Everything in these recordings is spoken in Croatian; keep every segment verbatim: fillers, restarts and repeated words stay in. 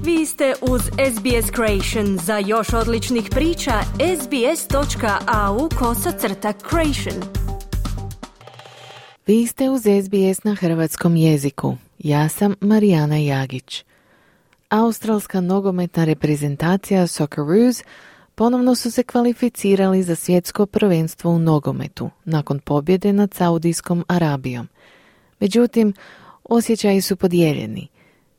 Vi ste uz S B S Creation. Za još odličnih priča, sbs.au kosacrta creation. Vi ste uz S B S na hrvatskom jeziku. Ja sam Marijana Jagić. Australska nogometna reprezentacija Socceroos ponovno su se kvalificirali za svjetsko prvenstvo u nogometu nakon pobjede nad Saudijskom Arabijom. Međutim, osjećaji su podijeljeni.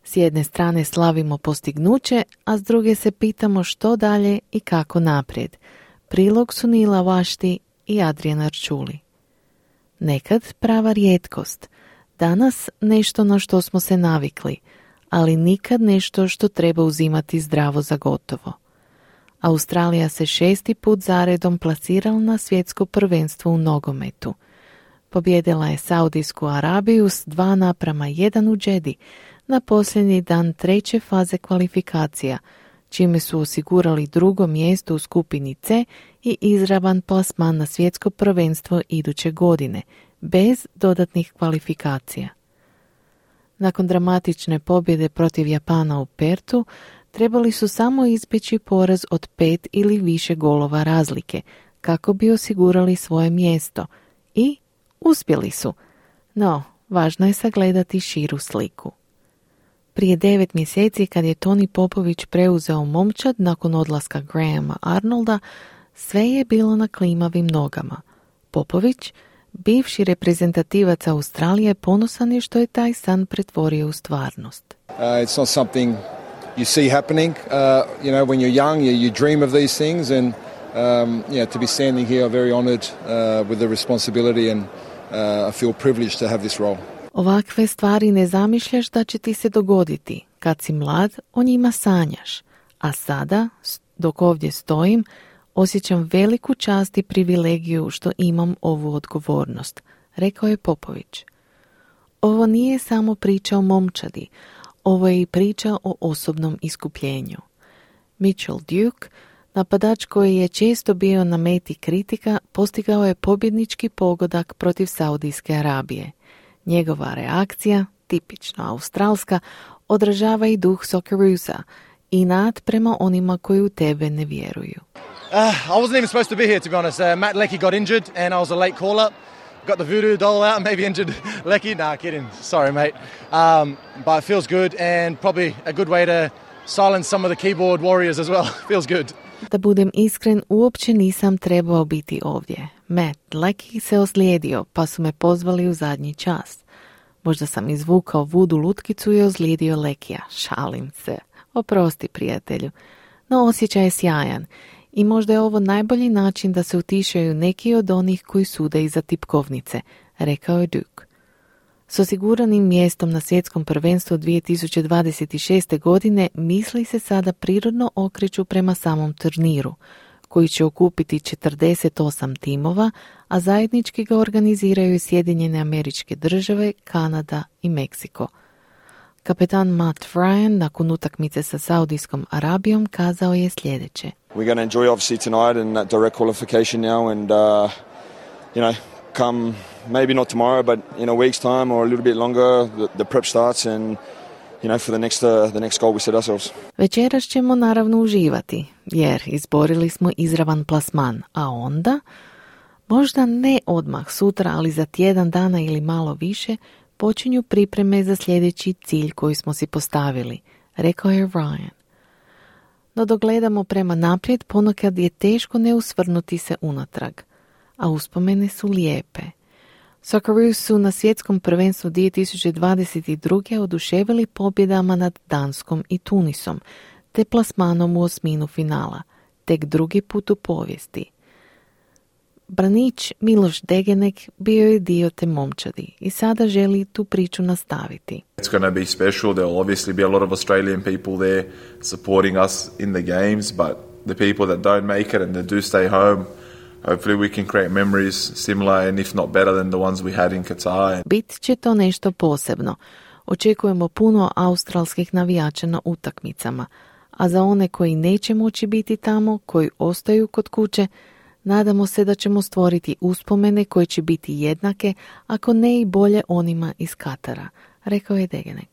S jedne strane slavimo postignuće, a s druge se pitamo što dalje i kako naprijed. Prilog su Nila Vašti i Adrian Arčuli. Nekad prava rijetkost, danas nešto na što smo se navikli, ali nikad nešto što treba uzimati zdravo za gotovo. Australija se šesti put zaredom plasirala na svjetsko prvenstvo u nogometu. Pobjedila je Saudijsku Arabiju s dva naprama jedan u Džedi na posljednji dan treće faze kvalifikacija, čime su osigurali drugo mjesto u skupini C i izravan plasman na svjetsko prvenstvo iduće godine, bez dodatnih kvalifikacija. Nakon dramatične pobjede protiv Japana u Pertu, trebali su samo izbjeći poraz od pet ili više golova razlike, kako bi osigurali svoje mjesto. I uspjeli su. No, važno je sagledati širu sliku. Prije devet mjeseci, kad je Toni Popović preuzeo momčad nakon odlaska Grahama Arnolda, sve je bilo na klimavim nogama. Popović, bivši reprezentativac Australije, ponosan je što je taj san pretvorio u stvarnost. Uh, it's not something you see happening. Uh, you know, when you're young, you, you dream of these things, and um, yeah, to be standing here, I'm very honoured uh, with the responsibility, and uh, I feel privileged to have this role. Ovakve stvari ne zamišljaš da će ti se dogoditi. Kad si mlad, o njima sanjaš. A sada, dok ovdje stojim, osjećam veliku čast i privilegiju što imam ovu odgovornost, rekao je Popović. Ovo nije samo priča o momčadi, ovo je i priča o osobnom iskupljenju. Mitchell Duke, napadač koji je često bio na meti kritika, postigao je pobjednički pogodak protiv Saudijske Arabije. Njegova reakcija, tipično australska, odražava i duh Socceroosa, inat prema onima koji u tebe ne vjeruju. Uh, I wasn't even supposed to be here, to be honest. Uh, Matt Leckie got injured and I was a late call-up. Got the voodoo doll out, maybe injured Leckie. Nah, kidding. Sorry, mate. Um, but it feels good and probably a good way to silence some of the keyboard warriors as well. Feels good. Da budem iskren, uopće nisam trebao biti ovdje. Matt Leckie se ozlijedio, pa su me pozvali u zadnji čas. Možda sam izvukao vudu lutkicu i ozlijedio Leckija. Šalim se. Oprosti, prijatelju. No osjećaj je sjajan. I možda je ovo najbolji način da se utišaju neki od onih koji sude iza tipkovnice, rekao je Duke. S osiguranim mjestom na svjetskom prvenstvu dvije tisuće dvadeset šeste. godine misli se sada prirodno okreću prema samom turniru, koji će okupiti četrdeset osam timova, a zajednički ga organiziraju Sjedinjene Američke Države, Kanada i Meksiko. Kapetan Matt Ryan nakon utakmice sa Saudijskom Arabijom kazao je sljedeće. We're going to enjoy obviously tonight and that direct qualification now and uh, you know, come maybe not tomorrow but in a week's time or a little bit longer the, the prep starts and you know for the next uh, the next goal we set ourselves. Večeras ćemo naravno uživati jer izborili smo izravan plasman, a onda možda ne odmah sutra, ali za tjedan dana ili malo više počinju pripreme za sljedeći cilj koji smo si postavili, rekao je Ryan. No dok gledamo prema naprijed, ponekad je teško ne usvrnuti se unatrag, a uspomene su lijepe. Socceroos su na svjetskom prvenstvu dvije tisuće dvadeset druge. oduševili pobjedama nad Danskom i Tunisom, te plasmanom u osminu finala, tek drugi put u povijesti. Branić Miloš Degenek bio je dio te momčadi i sada želi tu priču nastaviti. It's going to be special. There will obviously be a lot of Australian people there supporting us in the games, but the people that don't make it and that do stay home, hopefully we can create memories similar and if not better than the ones we had in Qatar. Bit će to nešto posebno. Očekujemo puno australskih navijača na utakmicama, a za one koji neće moći biti tamo, koji ostaju kod kuće, nadamo se da ćemo stvoriti uspomene koje će biti jednake, ako ne i bolje onima iz Katara, rekao je Degenek.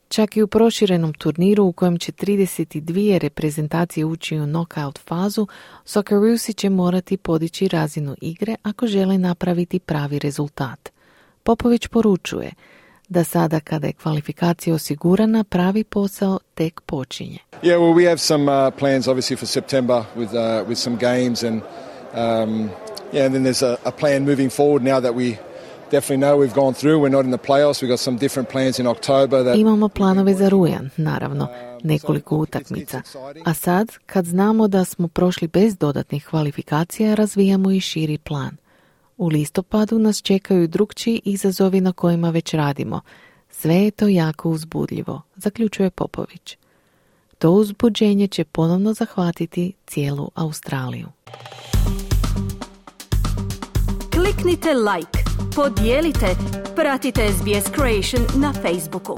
Čak i u proširenom turniru u kojem će trideset dvije reprezentacije ući u knockout fazu, Socceroos će morati podići razinu igre ako žele napraviti pravi rezultat. Popović poručuje da sada kada je kvalifikacija osigurana, pravi posao tek počinje. Yeah, well, we have some uh, plans obviously for September with uh, with some games and um, yeah, and then there's a, a plan moving forward now that we definitely know we've gone through. We're not in the playoffs. We've got some different plans in October. That... Imamo planove za rujan, naravno, nekoliko utakmica. A sad, kad znamo da smo prošli bez dodatnih kvalifikacija, razvijamo i širi plan. U listopadu nas čekaju drukčiji izazovi na kojima već radimo. Sve je to jako uzbudljivo, zaključuje Popović. To uzbuđenje će ponovno zahvatiti cijelu Australiju. Kliknite like, podijelite, pratite S B S Creation na Facebooku.